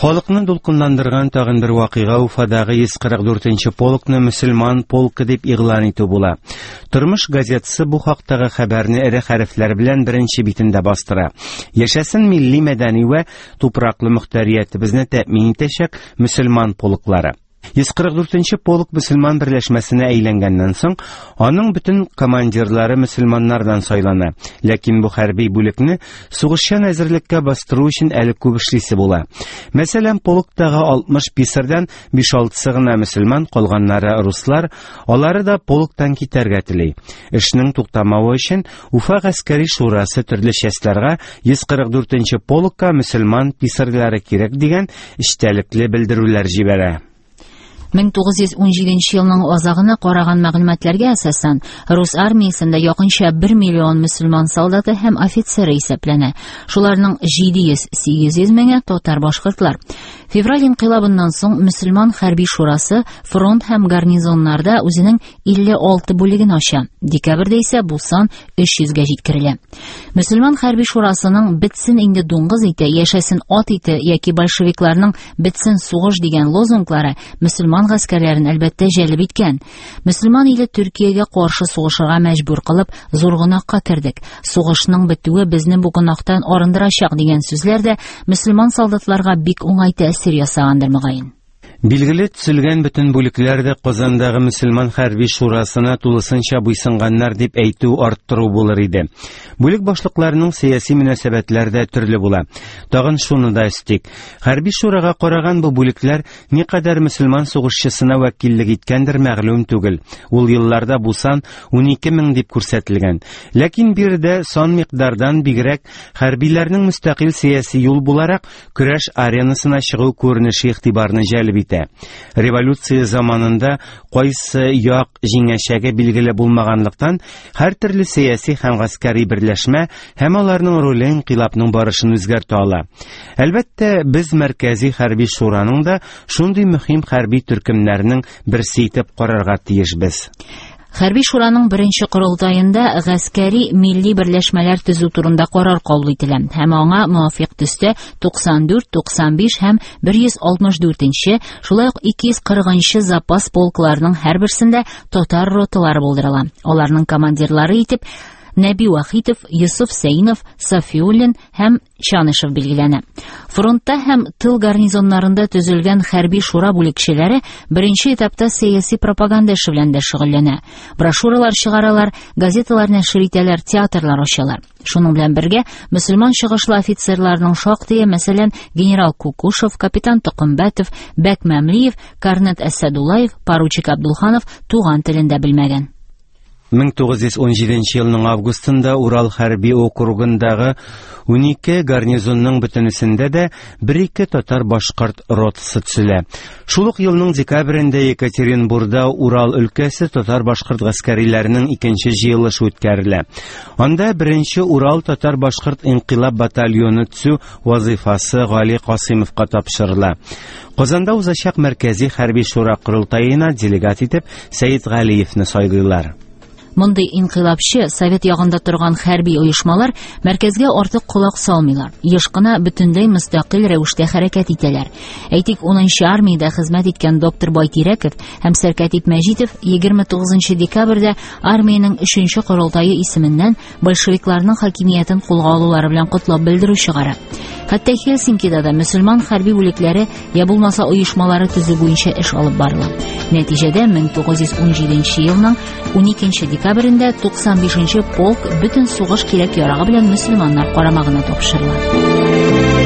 Халыкны дулкынландырган тагын бер вакыйга Уфадагы 144 нче полкны мөселман полкы дип игълан итү була. Тормыш газетасы бу хактагы хәбәрне эре хәрефләр белән беренче битендә бастыра. Яшәсен милли мәдәни вә тупраклы мөхтәриятебезне тәэмин итәчәк мөселман полклары. 144 нче полк мөселман берләшмәсенә әйләнгәннән соң, аның бөтен командирлары мөселманнардан сайлана. Ләкин бу хәрби бүлекне сугышчан әзерлеккә бастыру өчен әле күп эшлисе була. Мәсәлән, полктагы 60 писарьдан 5-6-сы гына мөселман, калганнары руслар, алары да полктан китәргә тели. Эшнең туктамавы өчен Уфа гаскәри шурасы төрле частьларга 144 нче полкка мөселман писарьлары кирәк дигән эчтәлекле белдерүләр җибәрә. 1917 елның азагына караган мәгълүматларга әсасән, рус армиясендә якынча 1 миллион мөселман солдаты һәм офицеры исәпләнә. Шуларның 700-800 меңе татар-башкортлар. Февраль инкыйлабыннан соң мөселман хәрби шурасы фронт һәм гарнизоннарда үзенең 56 бүлеген ача. Декабрьдә исә бу сан 300гә җиткерелә. Мөселман хәрби шурасының «Бетсен инде дуңгыз ите, яшәсен ат ите» яки большевикларның «Бетсен сугыш» дигән лозунглары мөселман гаскәрләрен, әлбәттә, җәлеп иткән. Мөселман иле Төркиягә каршы сугышырга мәҗбүр кылып, зур гөнаһка кердек. Сугышның бетүе безне бу гөнаһтан арындырачак дигән сүзләр дә мөселман солдатларга бик уңай тәэсир ясагандыр, мөгаен. Билгеле, төзелгән бөтен бүлекләр дә Казандагы мөселман хәрби шурасына тулысынча буйсынганнар дип әйтү арттыру булыр иде. Бүлек башлыкларының сәяси мөнәсәбәтләре дә төрле була. Тагын шуны да өстик. Хәрби шурага караган бу бүлекләр никадәр мөселман сугышчысына вәкиллек иткәндер мәгълүм түгел. Ул елларда бу сан 12 мең дип күрсәтелгән. Ләкин биредә сан микъдардан бигрәк хәрбиләрнең мөстәкыйль сәяси юл буларак көрәш аренасына чыгу күренеше игътибарны җәлеп итә. Революция заманында кайсы як җиңәчәге билгеле булмаганлыктан, һәртөрле сәяси һәм гаскәри берләшмә һәм аларның роле инкыйлабның барышын үзгәртә ала. Әлбәттә, без Мәркәзи хәрби шураның да шундый мөһим хәрби төркемнәрнең берсе итеп карарга тиешбез. Хәрби шураның беренче корылтаенда гаскәри милли берләшмәләр төзү турында карар кабул ителә һәм аңа муафикъ төстә 94, 95 һәм 164 нче, шулай ук 240 нчы запас полкларның һәрберсендә татар роталары булдырыла. Аларның командирлары итеп Нәби Вахитов, Йосыф Сәинов, Сафиуллин һәм Чанышев билгеләнә. Фронтта һәм тыл гарнизоннарында төзелгән хәрби шура бүлекчәләре беренче этапта сәяси пропаганда эше белән дә шөгыльләнә. Брошюралар чыгаралар, газеталар нәшер итәләр, театрлар ачалар. Шуның белән бергә мөселман чыгышлы офицерларның шактые, мәсәлән, генерал Кукушев, капитан Токымбәтов, Бәк Мәмлиев, корнет Әсәдуллаев, поручик Абдулханов туган телен дә белмәгән. 1917 елның августында Урал хәрби округындагы 12 гарнизонның бөтенесендә дә бер-ике татар-башкорт ротасы төзелә. Шул ук елның декабрендә Екатеринбурда Урал өлкәсе татар-башкорт гаскәриләренең икенче җыелышы үткәрелә. Анда беренче Урал татар-башкорт инкыйлаб батальоны төзү вазыйфасы Гали Касыймовка тапшырыла. Казанда узачак Мәркәзи хәрби шура корылтаена делегат итеп Сәет Галиевне сайлыйлар. Мондый инкыйлабчы, совет ягында торган хәрби оешмалар мәркәзгә артык колак салмыйлар. Еш кына бөтенләй мөстәкыйль рәвештә хәрәкәт итәләр. Әйтик, 10 нчы армиядә хезмәт иткән доктор Байтирәков һәм сәркәтип Мәҗитов 29 декабрьдә армиянең 3 нче корылтае исеменнән большевикларның хакимиятен кулга алулары белән котлап белдерү чыгара. Хәтта Хельсинкида да мөселман хәрби бүлекләре я булмаса оешмалары төзү буенча эш алып барыла. Нәтиҗәдә 1917 елның 12 декабрендә 95 нче полк бөтен сугыш кирәк-ярагы белән мөселманнар карамагына тапшырыла.